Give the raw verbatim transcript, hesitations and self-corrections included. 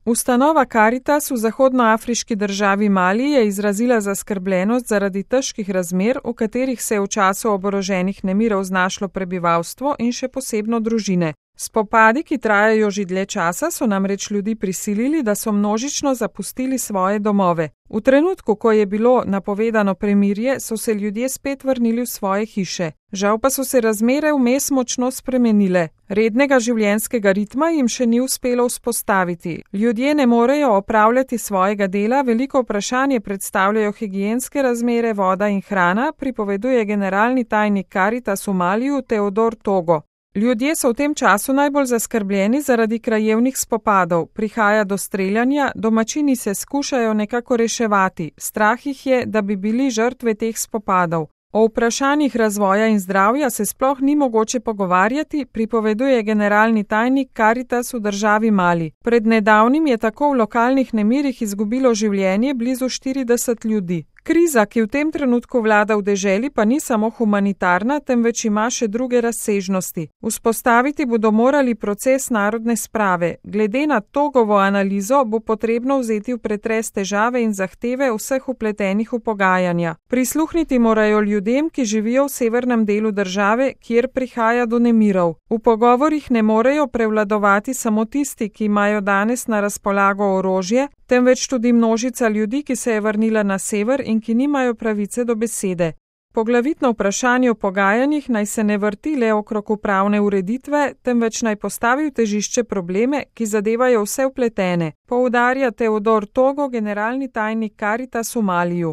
Ustanova Karitas v zahodnoafriški državi Mali je izrazila zaskrbljenost zaradi težkih razmer, v katerih se je v času oboroženih nemirov znašlo prebivalstvo in še posebno družine. Spopadi, ki trajajo že dlje časa, so namreč ljudi prisilili, da so množično zapustili svoje domove. V trenutku, ko je bilo napovedano premirje, so se ljudje spet vrnili v svoje hiše. Žal pa so se razmere vmes močno spremenile. Rednega življenjskega ritma jim še ni uspelo vzpostaviti. Ljudje ne morejo opravljati svojega dela, veliko vprašanje predstavljajo higienske razmere, voda in hrana, pripoveduje generalni tajnik Karitas v Maliju Teodor Togo. Ljudje so v tem času najbolj zaskrbljeni zaradi krajevnih spopadov, prihaja do streljanja, domačini se skušajo nekako reševati, strah jih je, da bi bili žrtve teh spopadov. O vprašanjih razvoja in zdravja se sploh ni mogoče pogovarjati, pripoveduje generalni tajnik Karitas v državi Mali. Pred nedavnim je tako v lokalnih nemirih izgubilo življenje blizu štirideset ljudi. Kriza, ki v tem trenutku vlada v deželi, pa ni samo humanitarna, temveč ima še druge razsežnosti. Vzpostaviti bodo morali proces narodne sprave. Glede na Togovo analizo bo potrebno vzeti v pretres težave in zahteve vseh vpletenih v pogajanja. Prisluhniti morajo ljudem, ki živijo v severnem delu države, kjer prihaja do nemirov. V pogovorih ne morejo prevladovati samo tisti, ki imajo danes na razpolago orožje, temveč tudi množica ljudi, ki se je vrnila na sever in ki nimajo pravice do besede. Poglavitno vprašanje o pogajanjih naj se ne vrti le okrog upravne ureditve, temveč naj postavi v težišče probleme, ki zadevajo vse vpletene, poudarja Teodor Togo, generalni tajnik Karitas v Maliju.